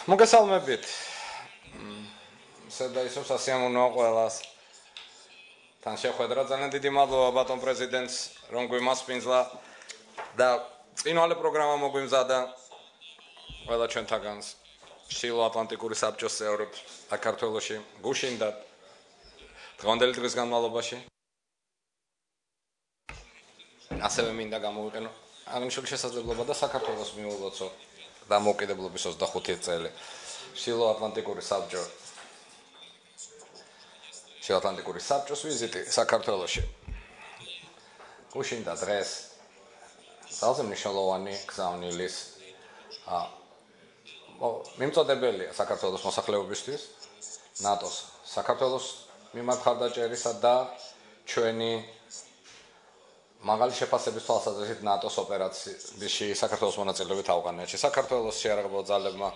მოგესალმებით. სედაისოს ასიამუნოა ყველას. თან შეხვედრა ძალიან დიდი მადლობა ბატონ პრეზიდენტს, რომ გვიმასპინძლა და წინვალე პროგრამა მოგვიმზადა ყველა ჩვენთაგანს. ჩრდილო ატლანტიკური საბჭოს წევრებს საქართველოში გუშინდა დღევანდელი დღის განმავლობაში. ასევე მინდა გამოვიყენო აღნიშნული შესაძლებლობა და საქართველოს მიულოცო დამოუკიდებლობის 25 წელი. ჩრდილო ატლანტიკური საბჭოს ვიზიტი საქართველოში. გუშინდა დღეს ძალზე მნიშვნელოვანი გზავნილის მიმწოდებელია საქართველოს მოსახლეობისთვის, ნატოს საქართველოს მიმართ ხარდაჭერისა და ჩვენი მაღალი შეფასების თვალსაზრისით ნატოს ოპერაციაში საქართველოს მონაწილეობით ავღანეთში. საქართველოს შეიარაღებულ ძალებმა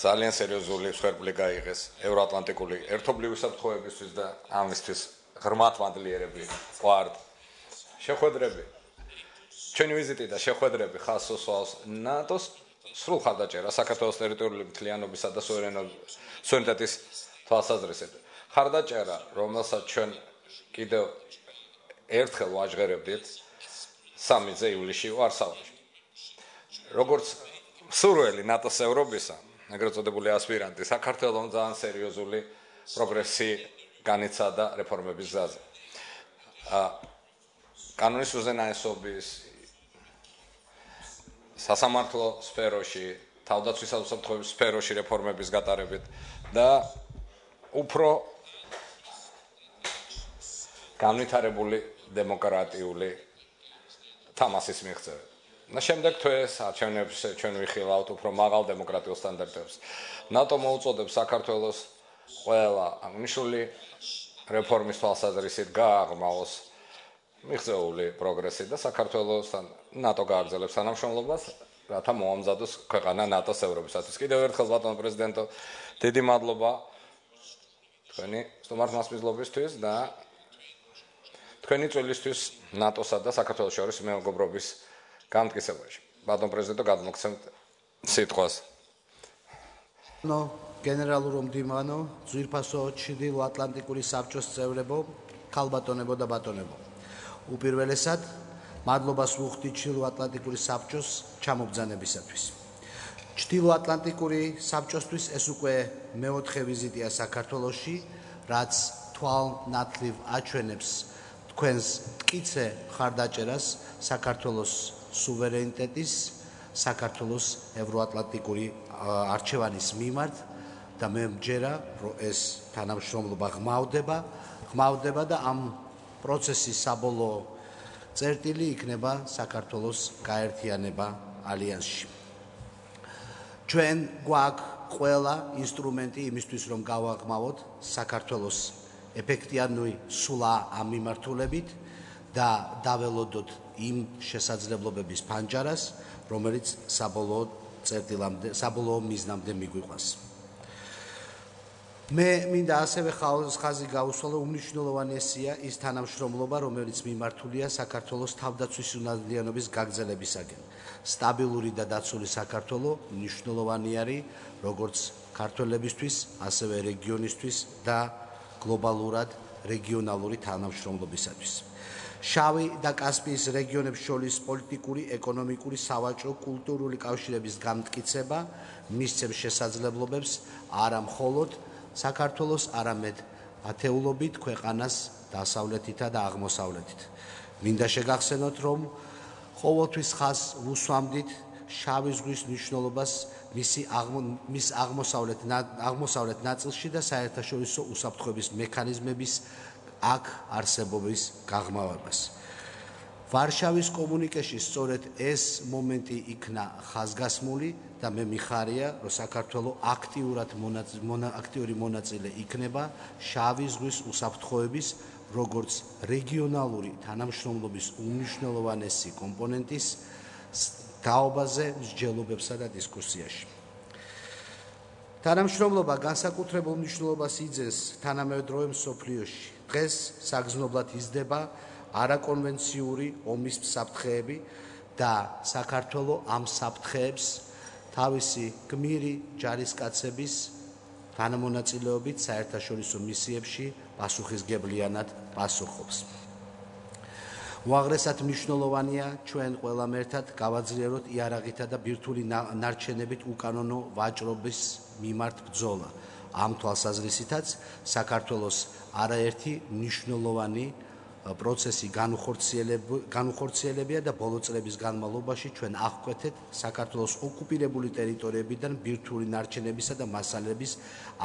ძალიან სერიოზული მსხვერპლი გაიღეს ევროატლანტიკური ერთობლივი საფრთხეებისთვის და ამისთვის ღრმად მადლიერები ვართ. შეხვედრები, ჩვენი ვიზიტი და შეხვედრები ხაზს უსვამს ნატოს სრულ ხარდაჭერა საქართველოს ტერიტორიული მთლიანობისა და სუვერენიტეტის თვალსაზრისით. ხარდაჭერა, რომელსაც ჩვენ კიდევ ერთხელ ვაჟღერებდით 3 ივლისში ვარსავაში. როგორც მსურველი ნატოს ევროპისა, ეგრეთ წოდებული ასპირანტი, საქართველოს ძალიან სერიოზული პროგრესი განიცადა რეფორმების გზაზე. კანონის უზენაესობის სასამართლო სფეროში, თავდაცვის საფრთხეების სფეროში რეფორმების გატარებით და უფრო განვითარებული დემოკრატიული თამასის მიღწევით. და შემდეგ თვეს არჩევნებში ჩვენ ვიხილავთ უფრო მაღალ დემოკრატიულ სტანდარტებს. ნატო მოუწოდებს საქართველოს ყველა აღნიშნული რეფორმის თვალსაზრისით გააღრმავოს მიღწეული პროგრესი და საქართველოსთან ნატო გააგრძელებს თანამშრომლობას, რათა მოამზადოს ქვეყანა ნატოს ევროპისათვის. კიდევ ერთხელ ბატონ პრეზიდენტო, დიდი მადლობა თქვენი სტუმარ მასპინძლობისთვის და თქვენი წვლილისთვის ნატოსა და საქართველოს შორის მეგობრობის განმტკიცებაში. ბატონ პრეზიდენტო, გადმოგცემთ სიტყვას. გენერალურ მდივანო, ძვირფასო ჩრდილო ატლანტიკური საბჭოს წევრებო, ქალბატონებო და ბატონებო. უპირველესად, მადლობას ვუხდით ჩრდილო ატლანტიკური საბჭოს ჩამობრძანებისათვის. ჩრდილო ატლანტიკური საბჭოსთვის ეს უკვე მეოთხე ვიზიტია საქართველოში, რაც თვალნათლივ აჩვენებს თქვენს მტკიცე ხარდაჭერას საქართველოს სუვერენიტეტის, საქართველოს ევროატლანტიკური არჩევანის მიმართ და მე მჯერა, რომ ეს თანამშრომლობა ღმავდება და ამ პროცესის საბოლოო წერტილი იქნება საქართველოს გაერთიანება ალიანსში. ჩვენ გვაქვს ყველა ინსტრუმენტი იმისთვის, რომ გავაღრმავოთ საქართველოს ეფექტიანური სულა ამ მიმართულებით და დაველოდოთ იმ შესაძლებლობების ფანჯარას, რომელიც საბოლოო მიზნამდე მიგვიყვანს. მე მინდა ასევე ხაზი გაუსვალო, უმნიშვნელოვანესია ის თანამშრომლობა, რომელიც მიმართულია საქართველოს თავდაცვის უნადიანობის გაგრძელებისაკენ. სტაბილური და დაცული საქართველო მნიშვნელოვანი არის როგორც ქართველებისთვის, ასევე რეგიონისთვის და გლობალურად რეგიონალური თანამშრომლობისათვის. შავი და კასპიის რეგიონებს შორის პოლიტიკური, ეკონომიკური, სავაჭრო, კულტურული კავშირების განმტკიცება მისცემს შესაძლებლობებს არა მხოლოდ საქართველოს, არამედ ათეულობით ქვეყანას დასავლეთითა და აღმოსავლეთით. მინდა შეგახსენოთ, რომ ყოველთვის ხაზს ვუსვამდით შავი ზღვის მნიშვნელობას მის აღმოსავლეთ ნაწილში და საერთაშორისო უსაფრთხოების მექანიზმების აქ არსებობის გაღრმავებას. ვარშავის კომუნიკეში სწორედ ეს მომენტი იქნა ხაზგასმული და მე მიხარია, რომ საქართველოს აქტიური მონაწილე იქნება შავი ზღვის უსაფრთხოების როგორც რეგიონალური თანამშრომლობის უმნიშვნელოვანესი კომპონენტის თაობაზე, მსჯელობებსა და დისკუსიაში. თანამშრომლობა განსაკუთრებულ მნიშვნელობას იძენს თანამედროვე მსოფლიოში. დღეს საგრძნობლად იზრდება არაკონვენციური ომის საფრთხეები და საქართველოს ამ საფრთხეებს თავისი გმირი ჯარისკაცების თანამონაწილეობით საერთაშორისო მისიებში პასუხისგებლიანად პასუხობს. უაღრესად მნიშვნელოვანია ჩვენ ყველამ ერთად გავაძლიეროთ იარაღითა და ბირთვული ნარჩენებით უკანონო ვაჭრობის მიმართ ბრძოლა. ამ თვალსაზრისითაც საქართველოს არაერთი მნიშვნელოვანი პროცესი განუხორციელებია და ბოლო წლების განმავლობაში ჩვენ აღკვეთეთ საქართველოს ოკუპირებული ტერიტორიებიდან ბირთვული ნარჩენებისა და მასალების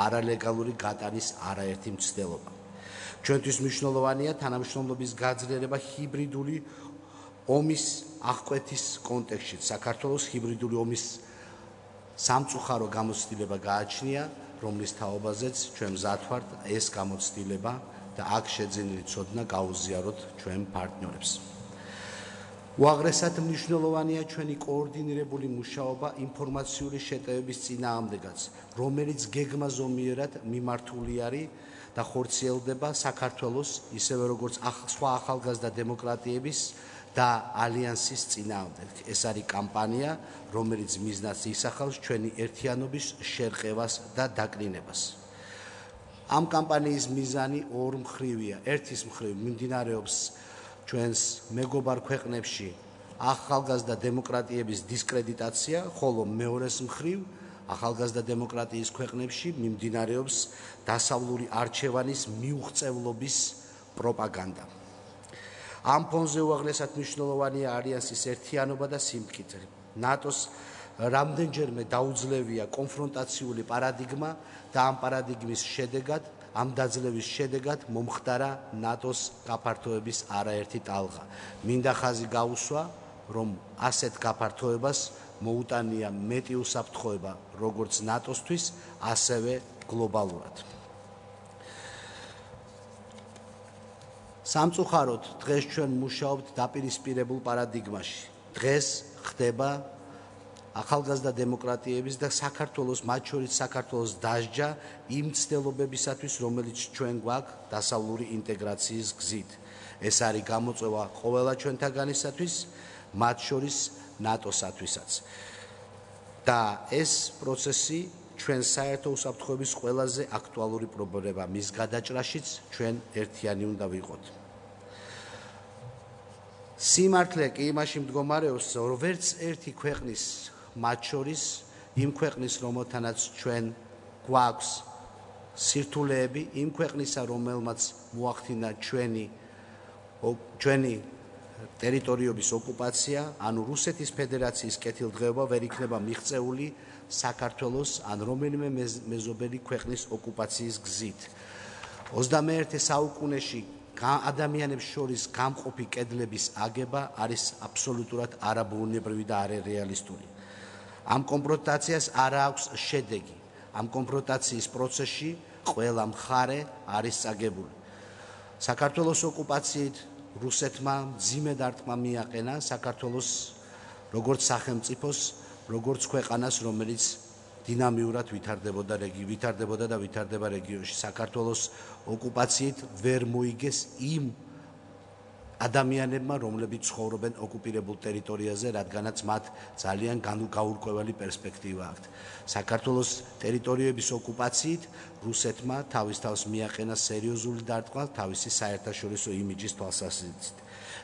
არალეგალური გატანის არაერთი მცდელობა. ჩვენთვის მნიშვნელოვანია თანამშრომლობის გაძლიერება ჰიბრიდული ომის აღკვეთის კონტექსტში. საქართველოს ჰიბრიდული ომის სამწუხარო გამოცდილება გააჩნია, რომლის თაობაზეც ჩვენ მზად ვართ ეს გამოცდილება და აქ შეძენილი ცოდნა გაუზიაროთ ჩვენ პარტნიორებს. უაღრესად მნიშვნელოვანია ჩვენი კოორდინირებული მუშაობა ინფორმაციული შეტევების წინააღმდეგაც, რომელიც გეგმაზომიერად მიმართული არის და ხორციელდება საქართველოს, ისევე როგორც სხვა ახალგაზრდა დემოკრატიების და ალიანსის წინააღმდეგ. ეს არის კამპანია, რომელიც მიზნად ისახავს ჩვენი ერთიანობის შერყევას და დაკნინებას. ამ კამპანიის მიზანი ორმხრივია. ერთის მხრივ მიმდინარეობს ჩვენს მეგობარ ქვეყნებში ახალგაზრდა დემოკრატიების დისკრედიტაცია, ხოლო მეორეს მხრივ ახალგაზრდა დემოკრატიის ქვეყნებში მიმდინარეობს დასავლური არჩევანის მიუღწევლობის პროპაგანდა. ამ ფონზე უაღრესად მნიშვნელოვანია ალიანსის ერთიანობა და სიმტკიცე. ნატოს რამდენჯერმე დაუძლევია კონფრონტაციული პარადიგმა და ამ პარადიგმის შედეგად, ამ დაძლევის შედეგად მომხდარა ნატოს გაფართოების არაერთი ტალღა. მინდა ხაზი გაუსვა, რომ ასეთ გაფართოებას მოუტანია მეტი უსაფრთხოება როგორც ნატოსთვის, ასევე გლობალურად. სამწუხაროდ დღეს ჩვენ მუშაობთ დაპირისპირებულ პარადიგმაში. დღეს ხდება ახალგაზრდა დემოკრატიების და საქართველოს, მათ შორის საქართველოს დასჯა იმ მცდელობებისათვის, რომელიც ჩვენ გვაქვს დასავლური ინტეგრაციის გზით. ეს არის გამოწვევა ყველა ჩვენთაგანისათვის, მათ შორის ნატოსათვისაც. და ეს პროცესი ჩვენ საერთო უსაფრთხოების ყველაზე აქტუალური პრობლემა, მის გადაჭრაშიც ჩვენ ერთიანი უნდა ვიყოთ. სიმართლე კი იმაში მდგომარეობს, რომ ვერც ერთი ქვეყნის, მათ შორის იმ ქვეყნის, რომელთანაც ჩვენ გვაქვს სირთულეები, იმ ქვეყნისა, რომელმაც მოახდინა ჩვენი ტერიტორიების ოკუპაცია, ანუ რუსეთის ფედერაციის კეთილდღეობა ვერ იქნება მიღწეული საქართველოს ან რომელიმე მეზობელი ქვეყნის ოკუპაციის გზით. 21 საუკუნეში ადამიანებს შორის გამყოფი კედლების აგება არის აბსოლუტურად არაბუნებრივი და არარეალისტური. ამ კონფრონტაციას არ აქვს შედეგი. ამ კონფრონტაციის პროცესში ყველა მხარე არის წაგებული. საქართველოს ოკუპაციით რუსეთმა მძიმე დარტყმა მიაყენა საქართველოს როგორც სახელმწიფოს, როგორც ქვეყანას, რომელიც დინამიურად ვითარდებოდა და ვითარდება რეგიონში. საქართველოს ოკუპაციით ვერ მოიგეს იმ ადამიანებმა, რომლებიც ცხოვრობენ ოკუპირებულ ტერიტორიაზე, რადგანაც მათ ძალიან გაურკვეველი პერსპექტივა აქვთ. საქართველოს ტერიტორიების ოკუპაციით რუსეთმა თავის თავს მიაყენა სერიოზული დარტყმა თავისი საერთაშორისო იმიჯის თვალსაზრისით.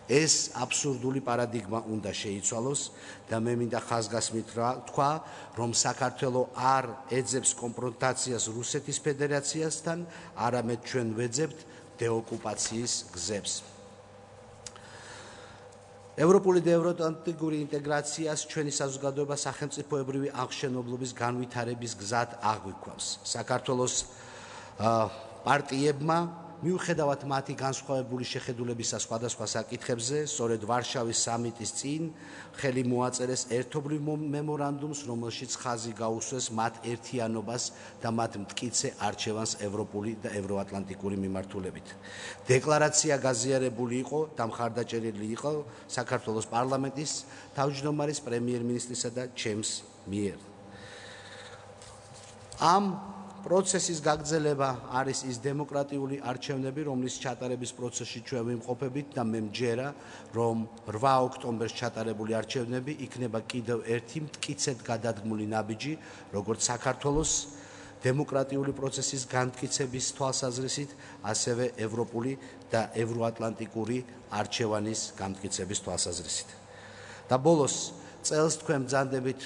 ეს აბსურდული პარადიგმა უნდა შეიცვალოს და მე მინდა ხაზგასმით თქვა, რომ საქართველო არ ეძებს კონფრონტაციას რუსეთის ფედერაციასთან, არამედ ჩვენ ვეძებთ დეოკუპაციის გზებს. ევროპული და ევროატლანტიკური ინტეგრაციას ჩვენი საზოგადოება სახელმწიფოებრივი აღმშენებლობის განვითარების გზად აღვიქვავს. საქართველოს პარტიებმა მიუხედავად მათი განსხვავებული შეხედულებისა სხვადასხვა საკითხებზე, სწორედ ვარშავის სამიტის წინ ხელი მოაწერეს ერთობლივ მემორანდუმს, რომელშიც ხაზი გაუსვეს მათ ერთიანობას და მათ მტკიცე არჩევანს ევროპული და ევროატლანტიკური მიმართულებით. დეკლარაცია გაზიარებული იყო და მხარდაჭერილი იყო საქართველოს პარლამენტის თავმჯდომარის პრემიერ-მინისტრისა და ჩემს მიერ. ამ პროცესის გაგრძელება არის ის დემოკრატიული არჩევნები, რომლის ჩატარების პროცესში ჩვენ ვიმყოფებით და მე მჯერა, რომ 8 ოქტომბერს ჩატარებული არჩევნები იქნება კიდევ ერთი მტკიცედ გადადგმული ნაბიჯი, როგორც საქართველოს დემოკრატიული პროცესის განმტკიცების თვალსაზრისით, ასევე ევროპული და ევროატლანტიკური არჩევანის განმტკიცების თვალსაზრისით. და ბოლოს წელს თქვენ ბრძანდებით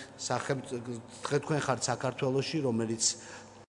თქვენ ხართ საქართველოში, რომელიც